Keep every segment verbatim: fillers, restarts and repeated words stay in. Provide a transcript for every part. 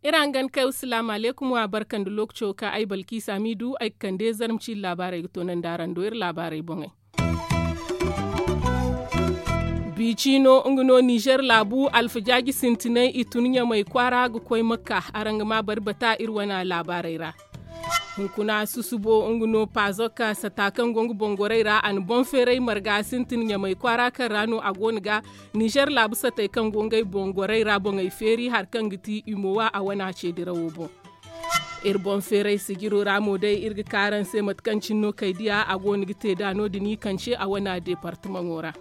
Iri hangan kay wa salaamu alaykum wa barka nda lookaco ka ay balkiisa miidu ay ga kande zarma ciiri laabaarey ga toonandi araŋ do iri laabaarey boŋey. Biiciino nga no nizer laabu alfajaaji sintinay i tun ɲamay kwaara ga koy makka. Araŋ ga maa bari bata iri wane laabaarey ra. Hunkuna susubo nga no pazok sata kaŋ go nga boŋ gorey ra a na boŋ feeray marga sintin ɲamay kwaara kaŋ ra no a go no ga nizer laabu satey kaŋ go ngey boŋ gorey ra boŋey feeri hari kaŋ ga ti imowa a wane a ce dirawo boŋ. Iri boŋ feeray sijiro ra mo day iri ga ka araŋ se mate kaŋ cine no kay diya a go no ga te da no- din i kance a wane deepartamaŋo ra.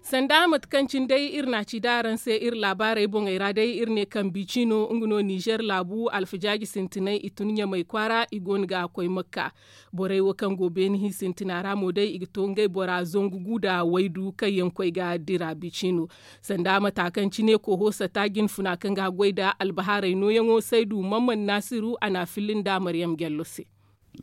Sanda mate kaŋ cine day iri na a ci da araŋ se iri laabaarey boŋey ra day iri ne kaŋ biiciino nga no nizer laabu alfajaaji sintinay i tun ɲamay kwaara i go no ga a koy makka. Borey wo kaŋ go beeni hi sintina ra mo day i ga to ngey bora zangu gu nda waydu kaŋ yaŋ koy ga dira biiciino. Sanda mata kaŋ cine koho sata jinfuna kaŋ ga goy nda albahaarey nooyaŋo saydu mamman naasiru a na a filli nda maryam jallo se.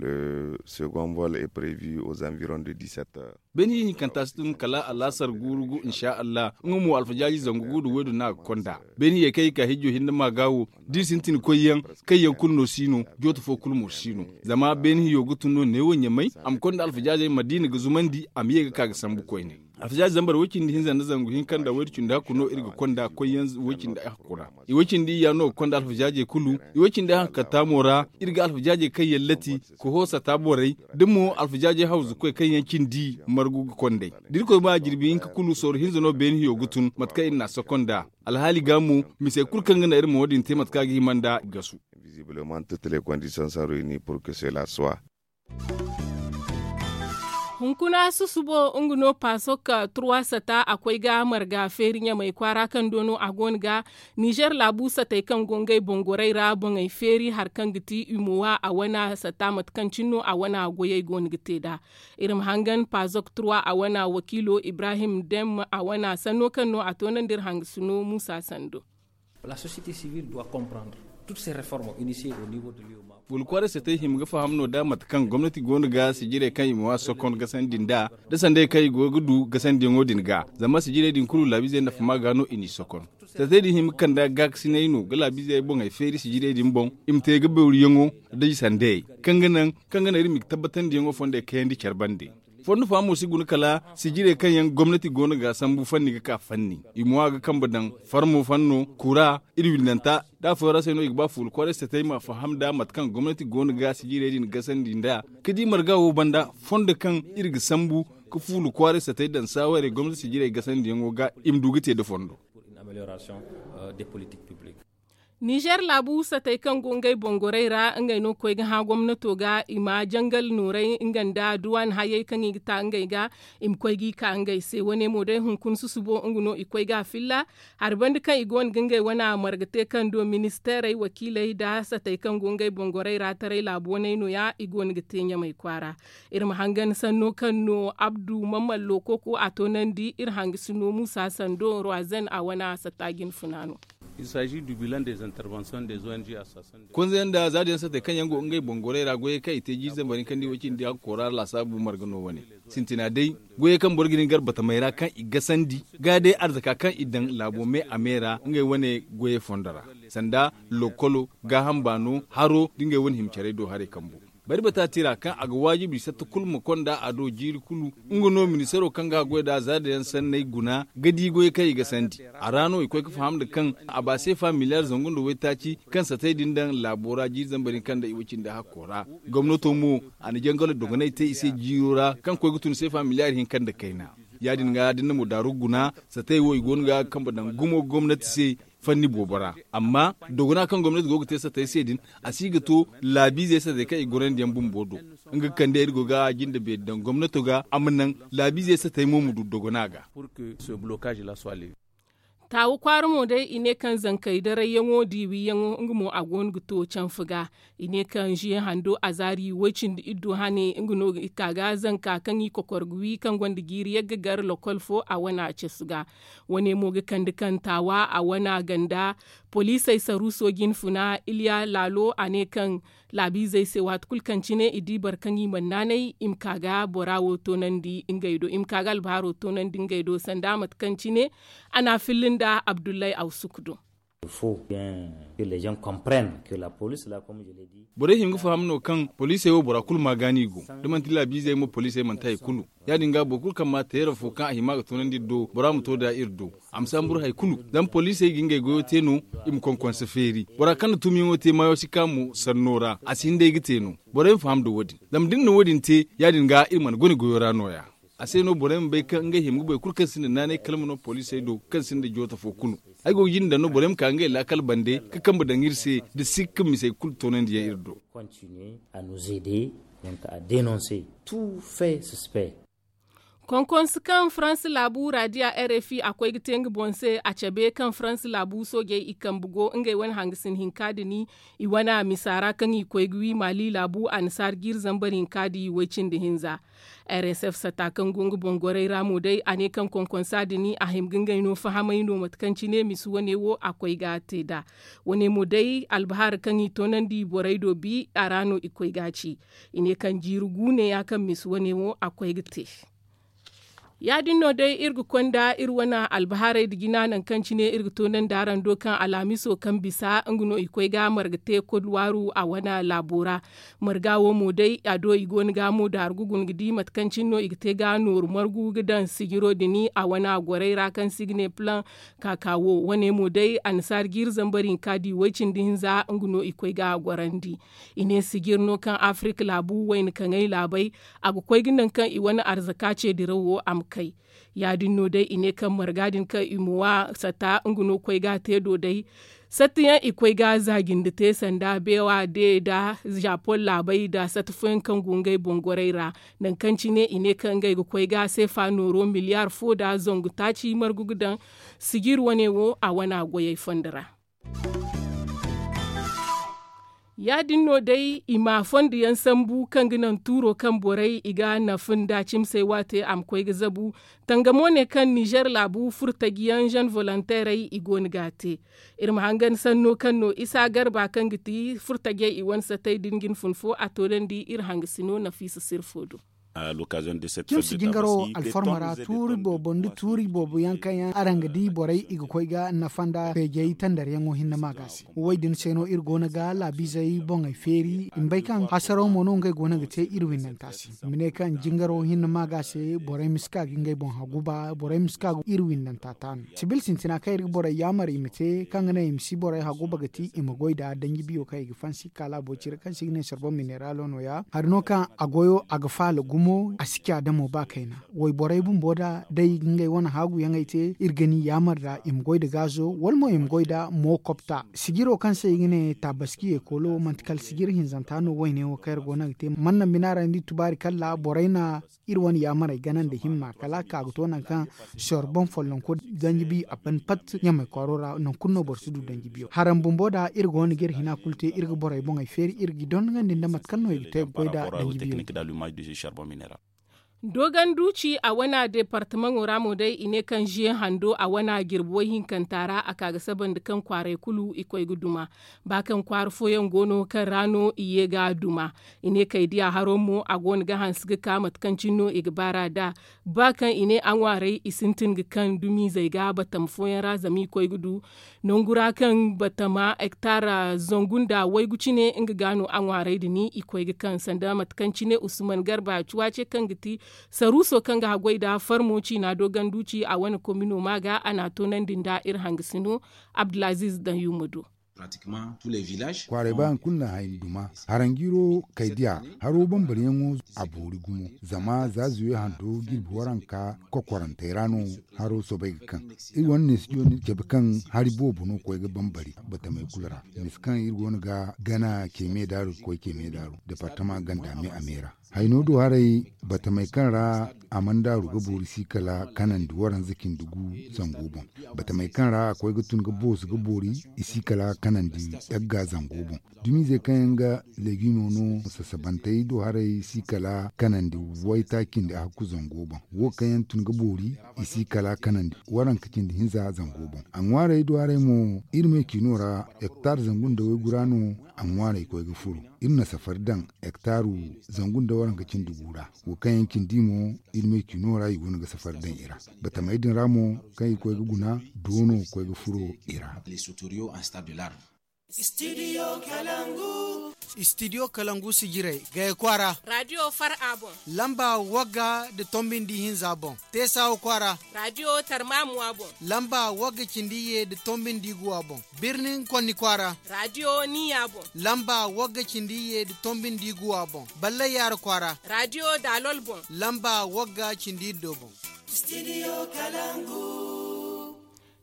Le second vol est prevu aux environs de dix-sept heures. Beeni hinkanta si tun kala alaasar guuru gu insa allah nga mo alfajaaji zangu gu nda waydu no a ga konda. Beeni hiyey kaŋ i ka hijjo hinne ma ga wo da i sintin koyyaŋ kaŋ yaŋ kulu no si no. Jooto fo kulu mo si no. Zama beeni hiyo ga tun no neewo ɲamay a ma konda alfajaajey madiina ga zumandi a ma ye ga ka ga sambu koyne. Alfajaajey zambar way cindi hinza nda zangu hinka nda waydu cindi hakku no iri ga konda koyyaŋ way cindi hakku ra. I way cindi iyya no ga konda alfajaajey kulu. I way cindi hankatta mo ra iri ga alfajaajey kaŋ yaŋ lati koho sata borey da mo alfajaajey hawzukoy kaŋ yaŋ cindi margu ga kond'ey. Da irkoy ma jirbi hinka kulu sorro hinza no beene hiyo ga tun mate kaŋ iri n'a sokonda. Alhaali ga mo misey kulu kaŋ ga naŋ iri ma wo- din te mate kaŋ a ga hima nd'a gasu. Visiblement toutes les conditions sont réunies pour que cela soit. Hunkuna susubo nga no pasok turwa sata a koy ga marga feeri ɲamay kwaara kaŋ do no a go no ga nizer laabu satey kaŋ go ngey boŋ gorey ra boŋey feeri hari kaŋ ga ti imowa a wana sata mate kaŋ cine no a wana goyey go no ga te nd'a. Iri ma hangan pazok turwa a wana wakiilo ibrahim dem a wana sanno kaŋ no a toonandi iri hangasino muusa sando. La société civile doit comprendre toutes ces réformes initiées au niveau de l'u e m a. Boro kwaaray satey hima ga faham no da mate kaŋ gomnati go no ga sijirey kaŋ i ma wa sokon gasandi nd'a da sanday kaŋ i go ga du gasandiyaŋo din ga zama sijirey din kulu laabiizey nafa ma ga no i n'i sokon. Satey din hima ga kand'a gaakasinay no ga laabiizey boŋey feeri sijirey din boŋ i ma te ga bawriyaŋo da i sandayey kaŋ ga naŋ kaŋ ga naŋ iri ma i ga tabbatandiyaŋo fondey kayandi care bande. Fondo fahamo si guna kala sijirey kaŋ yaŋ gomnati go no ga a sambu fanni ga ka fanni i mo a ga kambe daŋ farmo fanno kura iri windanta da afooyaŋ ra se no i ga ba fuula kwaaray satey ma faham da mate kaŋ gomnati go no ga sijirey din gasandi nd'a ga di marga wo banda fondo kaŋ iri ga sambu ga fuula kwaaray satey daŋ saawarey gomnati sijirey gasandiyaŋo ga i ma du ga te nda fondo. Nizer laabu satey kaŋ go ngey boŋ gorey ra ngey no ga koy ga hã gomnato ga i ma jangal nooray nga nda duwaan hayey kaŋ i ga ta ngey ga i ma koy g'i ka ngey se wane mo day hunkuna susubo nga no i koy ga a filla hari banda kaŋ i go no ga ngey wane marga te kaŋ do ministeerey wakiiley nda satey kaŋ go ngey boŋ gorey ra taray laabu waney no- ya i go no ga te ɲamay kwaara. Iri ma hangan sanno kaŋ no abdu mamman lookoko a toonandi iri hangasino muusa sando roizen a wane a satta jinfuna no. Konzayaŋ nda zaadiyaŋ satey kaŋ yaŋ go ngey boŋ gorey ra goyey kaŋ i te jiiri zambar hinka nda i way cindi hakko ra laasaabu marga no wane sintina day goyey kaŋ boro ga hin gar batamey ra kaŋ i gasandi ga day arzaka kaŋ i daŋ laabo me a me ra ngey wane goyey fondo ra sanda lokkolo gaaham baano haro nda ngey wane hima carey do haray kambo. Bari bata tira kaŋ a ga waajibi satta kulu ma konda a do jiiri kulu nga no ministaro kaŋ ga a goy nd'a zaadayaŋ sanney guna ga di goyey kaŋ i gasandi. A ra no i koy ga faham nda kaŋ a ba seefa miliyar zangu nda waytaaci kaŋ satey din daŋ laabo ra jiiri zambar hinka nda i way cindi hakko ra. Gomnato mo a na jangalo dogonay te i se jiiro ra kaŋ koy ga tun seefa miliyar hinka nda kayna. Ya- din ga da ni na mo daaru guna satey wo i go no ga kambe daŋ gumo gomnati se fanni boobo ra. Amma dogona kaŋ gomnati go ga te satey se din a si ga to laabiizey satey kaŋ i gorandi yaŋ bumbo do. Nga ga kande iri go ga jinde beeri daŋ gomnato ga a ma naŋ laabiizey satey mo ma du dogona ga. Taawu kwaara mo day i ne kaŋ zankey darayyaŋo diiwiyaŋo nga mo a go no ga to canfa ga. I ne kaŋ ziye hando azaari way cindi iddu hane nga no ga i ka ga zanka kaŋ i kokor ga wi kaŋ gonda jiiri yagga gar lokol fo a wana casu ga. Wane mo ga kande kaŋ taawa a wana ganda Poliisey saruuso jinfuna iliya laalo a ne kaŋ laabiizey se waati kulu kaŋ cine i di boro kaŋ i mana naanay i ma ka ga bora wo toonandi ngey do i ma ka ga albahaaro toonandi ngey do sanda mate kaŋ cine a na a filli nda abdullahi awsuk do. Borey hima ga faham no kaŋ poliisey wo bora kulu ma gaani i go da manti laabiizey mo poliisey manti hari kulu. Ya- din ga boro kulu kaŋ ma teera fo kaŋ a hima ga toonandi iri do bora ma to da iri do. A ma si hamburu hari kulu zama poliisey ga ngey goyo te no. I ma konkonse feeri bora kaŋ na tumiyaŋo te maayo si ka mo sanno ra a si hin day ga te no. Borey ma faham nda wo- din zama da iri na wo- din te ya- din ga iri mana gune goyo ra no- ya. A se no borey ma bay kaŋ ngey hima ga boro kulu kaŋ sinda naanay kala ma no poliisey do kaŋ sinda joota fo kulu. Ay go ga jinde daŋ no borey ma ka ngey laakal bande ga kambe daŋ iri se da sikka misey kulu toonandiyaŋ iri do. Konkonse kaŋ faransa laabu raadiya r f i a koy ga te nga boŋ se a cabe kaŋ faransa laabu soojey i kambe go ngey wane hangasin hinka din i wane misa ra kaŋ i koy ga wi maali laabu annasaara jiiri zambar hinka din way cindi hinza. R S F sata kaŋ go nga boŋ gorey ra mo day a ne kaŋ konkonsa din a hima ga ngey no fahamay no mate kaŋ cine misa wane wo a koy ga te nd'a. Wane mo day albahaara kaŋ i toonandi borey do bi a ra no i koy ga ci. I ne kaŋ jiiri gu ne ya kaŋ misa wane wo a koy ga te. Ya- din no day iri ga konda iri wane albahaarey nda jina nangu kaŋ cine iri ga toonandi araŋ do kaŋ alhamiso kaŋ bisa nga no i koy ga marga te kodwaaru a wane laabo ra. Marga wo mo day a do i go no ga mo daaru ga guna ga di mate kaŋ cine no i ga te ga nooru margu ga daŋ sijiro din a wane gorey ra kaŋ se i ga ne plan kaka wo wane mo day annasaara jiiri zambar hinka di way cindi hinza nga no i koy ga gorandi. I ne sijir no kaŋ afirka laabu wayna kaŋay laabey a ga koy ga naŋ kaŋ i wane arzaka ce diraw wo a ma kay. Ya- din no day i ne kaŋ marga din kaŋ i ma wa sata nga no koy ga a te do day. Sata yaŋ i koy ga a za jinde te sanda beewa de nda zapon laabey nda sata fooyaŋ kaŋ go ngey boŋ gorey ra. Nangu kaŋ cine i ne kaŋ ngey ga koy ga seefa nooro miliyaar fo nda zangu taaci margu ga daŋ sijir wane wo a wane goyey fondo ra. Ya- din no day i ma fondo yaŋ sambu kaŋ ga naŋ tuuro kaŋ borey i ga nafa nda cimsey waate a ma koy ga zabu. Tangamo ne kaŋ nizer laabu furtaji yaŋ zen volonteerey i go no ga a te. Iri ma hangan sanno kaŋ no isa garba kaŋ ga ti furtajey i wane satey da ni ga ni fun fo a toonandi iri hangasino nafiisa sirfo do. Cimsi jingaro alfarma ra tuuri boobo nda tuuri boobo yaŋ kaŋ yaŋ araŋ ga di borey i ga koy ga nafa nda feejey tandaryaŋo hinne ma ga se. Wo- din se no iri go no ga laabiizey boŋey feeri i ma bay kaŋ hasaraw mo no ngey go no ga te iri windanta se. I ma ne kaŋ jingaro hinne ma ga se borey ma si ka ga ngey boŋ haguba borey ma si ka ga iri windanta taanu sibil sintina kaŋ iri ga borey yaamar i ma te kaŋ ga naŋ i ma si borey haguba ga ti i ma goy nda danji biyo kaŋ i ga fansi kaŋ a laabo cire kaŋ se i ga ne sarbon mineralo no- ya hari no kaŋ a goyo a ga faala gumo a si ci a damo ba kayna. Wayborey bumbo da day ga ngey wane haaguyaŋey te iri ga ni yaamar nda i ma goy nda gaazo wala mo i ma goy nda mookopta sijiro kaŋ se i ga ne taabaski ekolo manti kala sijir hinzanta no wayne wo kaŋ iri go no ga te manna bina ra ni di tubaari kalla borey na iri wane yaamarey gana nda himma kala a ka ga to nangu kaŋ sor boŋ follonko danji bi a ban pat ɲamay kwaaro ra nangu kulu no boro si du danji biyo haraŋ bumbo da iri go no ga iri hina kulu te iri ga borey boŋey feeri iri ga i dondogandi nda mate kaŋ no i ga te ga goy da danji biyo. Dogon duuci a wana deepartamaŋo ra mo day i ne kaŋ ziye hando a wana jirbi way hinkanta ra a ka ga saba nda kaŋ kwaaray kulu i koy ga duma. Ba kaŋ kwaara fooyaŋ go no kaŋ ra no i ye ga duma. I ne kay diya haro mo a go no ga hanse ga ka mate kaŋ cine no i ga baara nd'a. Ba kaŋ i ne a ŋwaaray i sintin ga kaŋ dumiizey ga batama fooyaŋ ra zama i koy ga du nangu ra kaŋ batama hektar zangu nda waygu cine nga ga no a ŋwaaray din i koy ga kaŋ sanda mate kaŋ cine usman garba cuwace kaŋ ga ti saruuso kaŋ ga haggoy nda farmo ciina do ganduci a wane komino ma ga a na a toonandi nda iri hangasino abdulaziz daŋ yumma do. Kwaaray ba yaŋ kulu na hayan duma haranjiiro kay diya haro bambaryaŋo a boori gumo zama za zuwe hando jirbi waranka kokorantey ra no haro soobay ga kaŋ. Iri wane ne studio no iri cabe kaŋ hari boobo no koy ga bambari batamey kulu ra misa kaŋ iri go no ga gana ceme daaru ga koy ceme daaru departama ganda me a me ra. Hayno do haray, batamey kaŋ ra a mana daaru ga boori si kala kanandi waranza cindi gu zango boŋ. Batamey kaŋ ra a koy ga tun ga boosu ga boori, i si kala kanandi yagga zango boŋ. Dumiizey kaŋ yaŋ ga legimo no, sasabantey do haray si kala kanandi wayta cindi a hakku zango boŋ. Wo kaŋ yaŋ tun ga boori, i si kala kanandi waranka cindi hinza zango boŋ. A ŋwaarey do haray mo, iri me ciino ra, hektar zangu nda waygu ra no a ŋwaarey koy ga furo. Iri na safari daŋ hektaru zangu nda waranka cindi gu ra. Wo kaŋ yaŋ cindi mo, iri me ciino ra i go no ga safari daŋ i ra. Batamey din ra mo, kaŋ i koy ga guna, doono koy ga furo i ra. Studio kalangu. Studio kalangu sijirey, gaya kwaara. Radio far a boŋ. Lamba wagga da tombindi hinza boŋ. Teesawa kwaara. Radio tarmamuwa boŋ. Lamba wagga cindi ye da tombindi guwa boŋ. Birnin konni kwaara. Radio niya boŋ. Lamba wagga cindi ye da tombindi guwa boŋ. Ballay yaara kwaara. Radio dalol boŋ. Lamba wagga cindi iddo boŋ. Studio kalangu.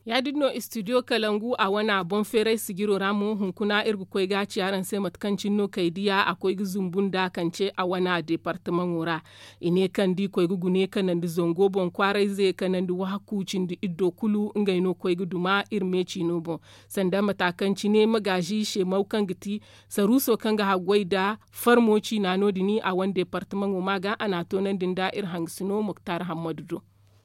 Ya-din no studio kalangu a wana boŋ feeray sijiro ra mo hunkuna iri ga koy ga ci araŋ se mate kaŋ cine no kay diya a koy ga zumbu nda kaŋ ce a wana departamaŋo ra. I ne kaŋ da i koy ga gune kanandi zango boŋ kwaarayze kanandi wahaku cindi iddo kulu ngey no koy ga duma iri me ciino boŋ. Sanda mata kaŋ cine magaazi semaw kaŋ ga ti saruuso kaŋ ga haggoy nda farmo ciina no- din a wane departamaŋo ma ga a na a toonandi nda iri hangasino muktar hammadu do.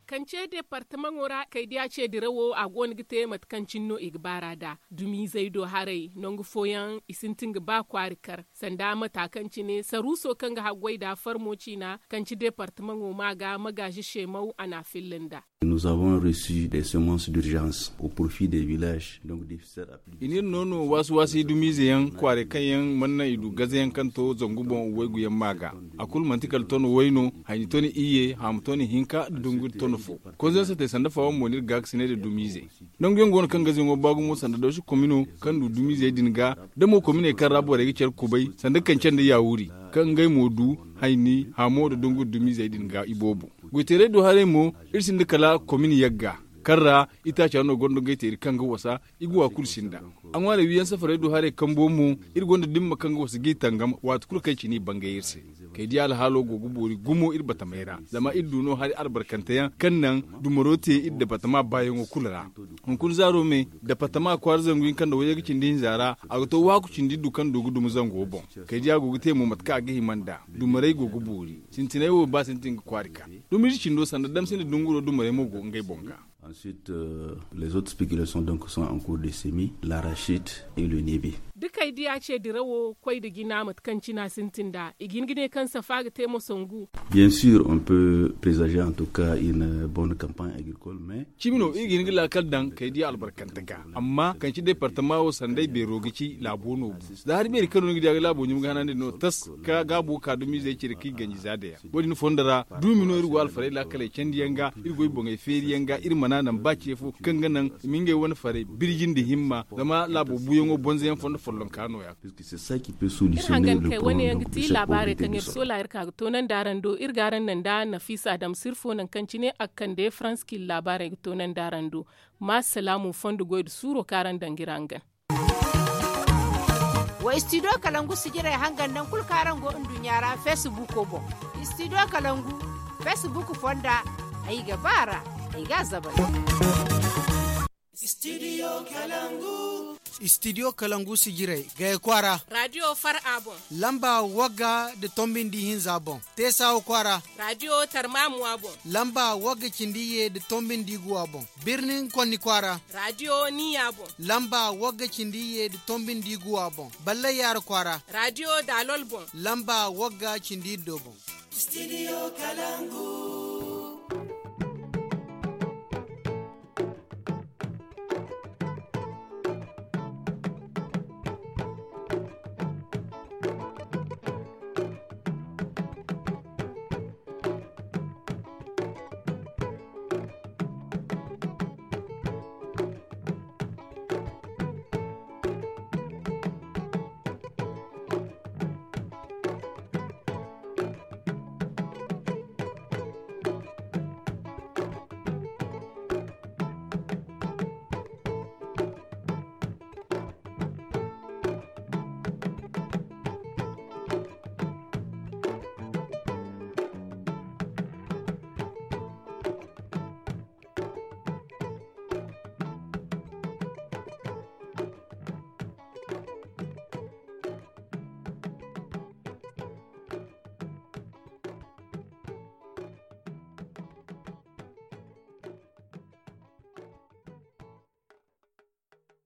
Kaŋ ce departamaŋo ra kay diya ce dirawo a go no ga te mate kaŋ cine no i ga baar'a nd'a. Dumiizey do haray nangu fooyaŋ i sintin ga ba kwaari kar sanda mata kaŋ cine saruuso kaŋ ga haggoy nd'a farmo ciina kaŋ ci departamaŋo ma ga magaazi semaw a na a filla nd'a. Nous avons reçu des semences d'urgence au profit des villages. Donc des ficelles à plusieurs. I n'iri no no waasi waasi dumiize yaŋ kwaaray kaŋ yaŋ mana naŋ i du gaze yaŋ kaŋ to zangu boŋ waygu yaŋ ma ga. A kulu manti kala ton way no, hayni ton iyye, haamu ton hinka nda dungu ton fo. Konzensatey sanda fawa mo n'iri gaakasinay nda dumiizey. Nangu yaŋ go no kaŋ gaze yaŋo ba gumo sanda dawsi komino kaŋ du dumiizey din ga, da mo kominey kaŋ ra borey ga care kubay sanda kance nda yaawuri, kaŋ ngey mo du hayni, hamo nda dungu nda dumiizey din ga iboobo. Goyteerey do haray mo, iri sinda kala komin yagga kaŋ ra itaaca no gonda goyteeri kaŋ ga wasa. I ga wa kulu sinda. A ŋwaarey wiiyaŋ safarey do haray kambo mo, iri gonda dimma kaŋ ga wasa g'i tangam waati kulu kaŋ i ci n'i bangay iri se. Kay diya alhaalo go ga boori gumo iri batamey ra zama iri du no hari albarkanteyaŋ kaŋ naŋ dumaro te iri dabatama baayaŋo kulu ra. Hunkuna zaaro me, dabatama kwaara zangu hinka nda wayye ga cindi hinza ra, a ga to waaku cindi iddu kaŋ du ga duma zango boŋ. Kay diya go ga te mo mate kaŋ a ga hima nd'a. Dumarey go ga boori. Sintinay wo ba sintin ga kwaari ka. Dumiize cindo sanda damsindi dunguro dumarey mo go ngey boŋ ga. Ensuite, les autres spéculations donc sont en cours de semis, l'arachide et le nébé. Da kay diya ce dirawo koy nda jina mate kaŋ cina sintin nd'a i ga hin ga ne kaŋ safa ga te mo sangu. Bien sûr on peut présager en tout cas une bonne campagne agricole mais. Cimi no iri ga hin ga laakal daŋ kay diya albarkante ga. Amma kaŋ ci departama wo sanday beero ga ci laabo no bu. Za hari beeri kaŋ no ni ga diya ga laabo ɲum ga hanandi no tas ka gaabo ka dumiizey cire k'i ganji za day. Wo- din fondo ra, duumi no iri go alfarey laakaley candiyaŋ ga, iri goy boŋey feeriyaŋ ga iri mana naŋ ba ce fo kaŋ ga naŋ i ma ngey wane farey birji nda himma. Zama laabo buuyaŋo bonzoyaŋ fondo follonka no- ya. Iri hangan kay wane yaŋ ga ti laabaarey kaŋ iri soola iri ka ga toonandi araŋ do iri ga araŋ naŋ nda nafiisa adama sirfo naŋ kaŋ cine a ga kande faransa k'i laabaarey ga toonandi araŋ do. Ma salaamu fondo goy nda suuro kaŋ araŋ daŋ ga iri hangan. Wa studio kalangu sijirey hangan naŋ kulu kaŋ araŋ go nduɲɲa ra facebook boŋ. Studio kalangu facebook fonda ay ga ba a ra. Ay ga a zabal. Studio kalangu. Studio kalangu sijirey gaya kwaara. Radio far a boŋ. Lamba wagga nda tombi nda ihinza boŋ. Teesawa kwaara. Radio tarmamuwa boŋ. Lamba wagga cindi iyye nda tombi nda iguwa boŋ. Birnin konni kwaara. Radio niya boŋ. Lamba wagga cindi iyye nda tombi nda iguwa boŋ. Ballay yaara kwaara. Radio daalol boŋ. Lamba wagga cindi iddo boŋ. Studio kalangu.